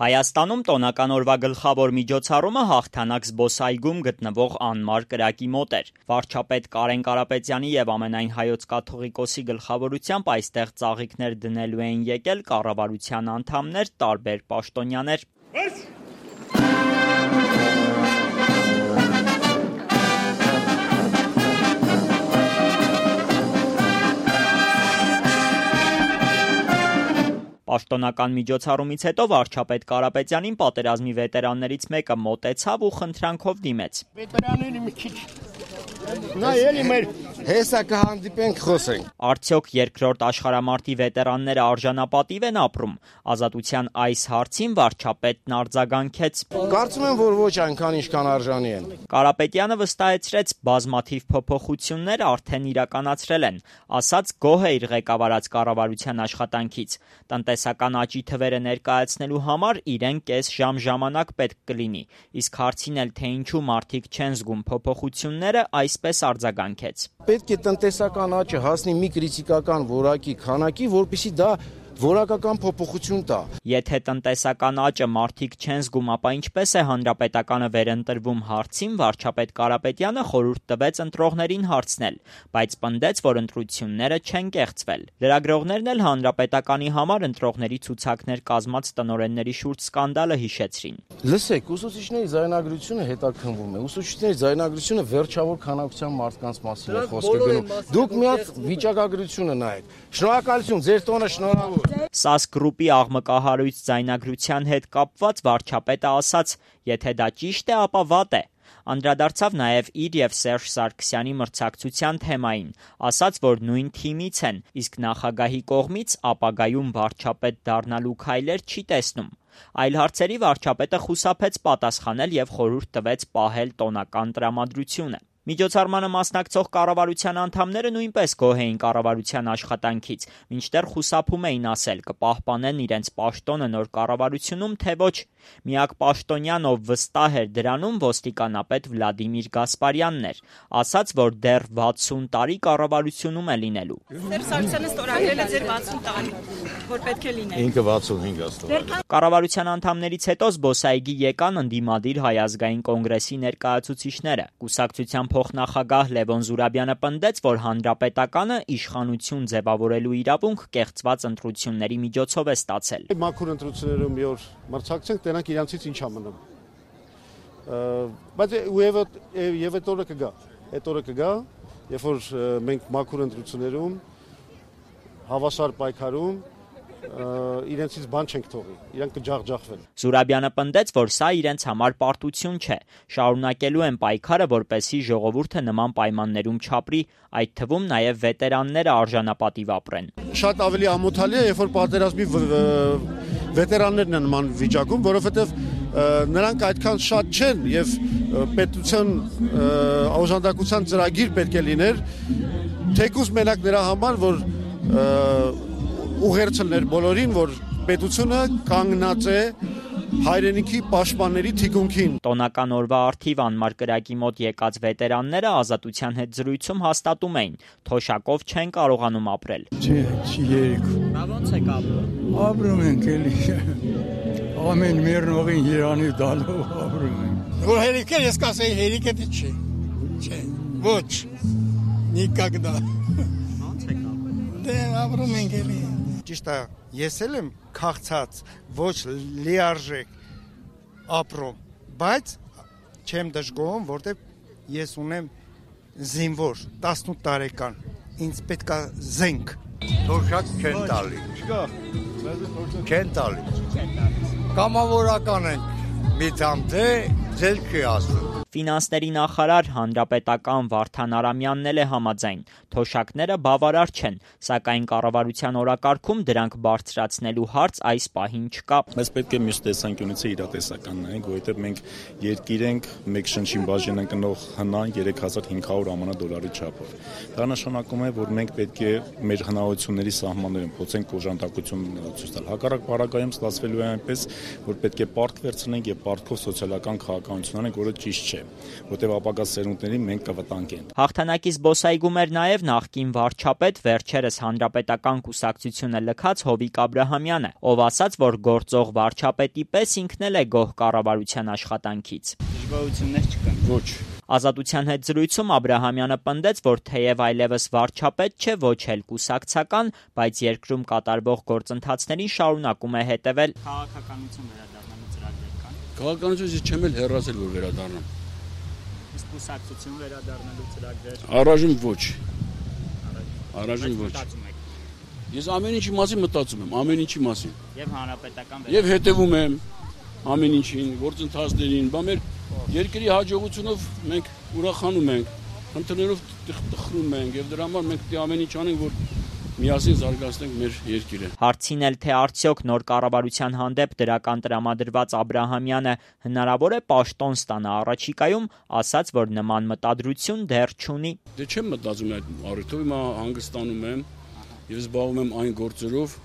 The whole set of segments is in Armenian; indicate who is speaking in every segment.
Speaker 1: Հայաստանում տոնական օրվա գլխավոր միջոցառումը հաղթանակ զբոսայգում գտնվող անմար կրակի մոտ էր։ Վարչապետ Կարեն Կարապետյանի և ամենայն հայոց կաթողիկոսի գլխավորությամբ այստեղ ծաղիկներ դնելու էին եկել կառավարության անդամներ, տարբեր պաշտոնյաներ։ Պաշտոնական միջոցառումից հետո վարչապետ Կարապետյանին պատերազմի վետերաններից մեկը մոտեցավ ու խնդրանքով դիմեց։
Speaker 2: Վետերանների մի քիչ նայելի մեր հեսա կհանդիպենք խոսենք։
Speaker 1: Արդյոք երկրորդ աշխարհամարտի վետերանները արժանապատիվ են ապրում։ Ազատության այս հարցին վարչապետն արձագանքեց.
Speaker 2: Կարծում եմ, որ ոչ այնքան ինչքան արժանի են։
Speaker 1: Կարապետյանը վստահեցրեց, բազմաթիվ փոփոխություններ արդեն իրականացրել են, ասաց գոհ է իր ղեկավարած կառավարության աշխատանքից։ Տնտեսական աճի թվերը ներկայացնելու համար իրեն կես ժամ ժամանակ պետք կլինի, իսկ հարցին էլ թե ինչու մարդիկ չեն զգում փոփոխությունները, այսպես արձագանքեց.
Speaker 2: Պետք է տնտեսական աճը հասնի մի կրիտիկական որակի քանակի, որպեսզի դա որակական փոփոխություն տա։
Speaker 1: Եթե տնտեսական աճը մարդիկ չեն զգում, ապա ինչպես է հանրապետականը վերընտրվում հարցին վարչապետ Կարապետյանը խորհուրդ տվեց ընտրողներին հարցնել, բայց պնդեց, որ ընտրությունները չեն կեղծվել։ Լրագրողներն էլ հանրապետականի համար ընտրողների ցուցակներ կազմած տնօրենների շուրջ սկանդալը հիշեցրին։
Speaker 2: Լսեք, ուսուցիչների ձայնագրությունը հետաքննվում է։ Ուսուցիչների ձայնագրությունը վերջավոր քանակության մարդկանց մասին է խոսքը գնում։ Դուք մի հատ վիճակագրությունը նայեք։ Շնորհակալություն, ձեր տոնը շնորհավոր։
Speaker 1: ՍԱՍ գրուպի աղմկահարույց ձայնագրության հետ կապված վարչապետը ասաց, եթե դա ճիշտ է, ապա վատ է։ Անդրադարձավ նաև իր և Սերժ Սարգսյանի մրցակցության թեմային, ասաց, որ նույն թիմից են, իսկ նախագահի կողմից ապագայում վարչապետ դառնալու քայլեր չի տեսնում։ Այլ հարցերի վարչապետը խուսափեց պատասխանել և խորհուրդ տվեց պահել տոնական տրամադրությունը։ Միջոցառմանը մասնակցող կառավարության անդամները նույնպես գոհ էին կառավարության աշխատանքից, մինչդեռ խուսափում էին ասել կպահպանեն իրենց պաշտոնը նոր կառավարությունում, թե ոչ։ Միակ պաշտոնյան, ով վստահ էր դրանում, ոստիկանապետ Վլադիմիր Գասպարյանն էր, ասաց, որ դեռ 60 տարի կառավարությունում է լինելու։
Speaker 3: Սերժ Սարգսյանը ստորագրել է ձեր 60 տարի, որ պետք է լինել։
Speaker 2: Ինքը 65 աստղ։
Speaker 1: Կառավարության անդամներից հետո զբոսայգի եկան ընդդիմադիր Հայ ազգային կոնգրեսի ներկայացուցիչները։ Կուսակցության փոխնախագահ Լևոն Զուրաբյանը պնդեց, որ հանրապետականը իշխանություն ձևավորելու իրավունք կեղծված ընտրությունների միջոցով է ստացել։
Speaker 4: Մաքուր ընտրություններում մի օր մրցակցենք, տենանք իրանցից ինչ է մնում։ Բայց եւ այդ օրը կգա։ Այդ օրը կգա, երբ որ մենք մաքուր ընտրություններում հավասար պայքարում իրենցից բան չենք թողի, իրանք կջախջախվեն։
Speaker 1: Զուրաբյանը պնդեց, որ սա իրենց համար պարտություն չէ, շարունակելու են պայքարը, որպեսզի ժողովուրդը նման պայմաններում չապրի, այդ թվում նաև վետերանները արժանապատիվ ապրեն։
Speaker 4: Շատ ավելի ամոթալի է, երբ որ պատերազմի վետերաններն են նման վիճակում, որովհետև նրանք այդքան շատ չեն եւ պետության օժանդակության ծրագիր պետք է լիներ, թեկուզ մենակ նրա համար, որ ուղերձներ բոլորին, որ պետությունը կանգնած է հայրենիքի պաշտպանների թիկունքին։
Speaker 1: Տոնական օրվա առթիվ անմար կրակի մոտ եկած վետերանները Ազատության հետ զրույցում հաստատում էին, թոշակով չեն կարողանում ապրել։
Speaker 5: Չի երիքում։
Speaker 1: Բա ո՞նց եք ապրում։
Speaker 5: Ապրում ենք էլի։ Ամեն մերնողին Երանի դալով ապրում ենք։
Speaker 6: Որ հերիքը ես կասեի հերիքը դե չէ։ Չէ։ Ոչ։ Նիկագդա։
Speaker 1: Ո՞նց եք ապրում։
Speaker 6: Դե ապրում ենք էլի։
Speaker 7: Ճիշտ է, ես էլ եմ քաղցած, ոչ լիարժեք ապրում, բայց չեմ դժգոհում, որտեղ ես ունեմ զինվոր 18 տարեկան, ինձ պետք է զենք։
Speaker 8: Թոշակ չեն տալի։
Speaker 4: Չկա։
Speaker 8: Չեն տալի։
Speaker 7: Կամավորական ենք։
Speaker 8: Մի դամ դե ձեր չի ասում։
Speaker 1: Ֆինանսների նախարար հանրապետական Վարդան Արամյանն էլ է համաձայն։ Թոշակները բավարար չեն, սակայն կառավարության օրակարգում դրանք բարձրացնելու հարց այս պահին չկա։
Speaker 9: Բայց պետք է մյուս տեսանկյունից իրատեսական նայենք, որովհետև մենք երկիր ենք, մեկ շնչին բաժին ընկնող հնա 3500 ԱՄՆ չափով։ Դա նշանակում է, որ մենք պետք է մեր հնարավորությունների սահմաններում փորձենք օժանդակություն ցույց տալ։ Հակառակ պարագայում ստացվելու է այնպես, որ պետք է պարտք վերցնենք եւ պարտքով սոցիալական քաղաքականություն անենք, որը ճիշտ չէ։ է, որտեղ ապագա սերունդներին մենք կվտանգենք։
Speaker 1: Հաղթանակի զբոսայգում էր նաև նախկին վարչապետ, վերջերս հանրապետական կուսակցությունը լքած Հովիկ Աբրահամյանը, ով ասաց, որ գործող վարչապետի պես ինքն էլ է գոհ կառավարության աշխատանքից։
Speaker 10: Դժգոհություններ չկան։
Speaker 9: Ոչ։
Speaker 1: Ազատության հետ զրույցում Աբրահամյանը պնդեց, որ թեև այլևս վարչապետ չէ, ոչ էլ կուսակցական, բայց երկրում կատարվող գործընթացներին շարունակում է հետևել։
Speaker 10: Քաղաքականություն վերադառնալու ծրագրեր կան։
Speaker 11: Քաղաքականությունից ես չեմ էլ հեռացել, որ վերադառնամ։
Speaker 10: Իսկ կուսակցություն վերադառնալու ծրագրեր։
Speaker 11: Առայժմ ոչ։ Առայժմ ոչ։ Ես ամեն ինչի մասին մտածում եմ, ամեն ինչի մասին։
Speaker 10: Եվ հանրապետական
Speaker 11: Եվ հետևում եմ ամեն ինչին, գործընթացներին, բա մեր երկրի հաջողությունով մենք ուրախանում ենք, խնդիրներով տխրում ենք եւ դրա համար մենք ամեն ինչ անենք, որ միասին զարգացնենք մեր երկիրը։
Speaker 1: Հարցին էլ թե արդյոք նոր կառավարության հանդեպ դրական տրամադրված Աբրահամյանը հնարավոր է պաշտոն ստանա առաջիկայում, ասաց, որ նման մտադրություն դեռ չունի։
Speaker 11: Դե չեմ մտածում այդ առիթով, հիմա հանգստանում եմ եւ զբաղվում եմ այն գործերով,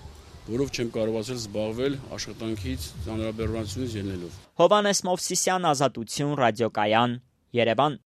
Speaker 11: որով չեմ կարողացել զբաղվել աշխատանքից, ծանրաբեռնությունից ելնելով։
Speaker 1: Հովհաննես Մովսիսյան, Ազատություն, ռադիոկայան, Երևան։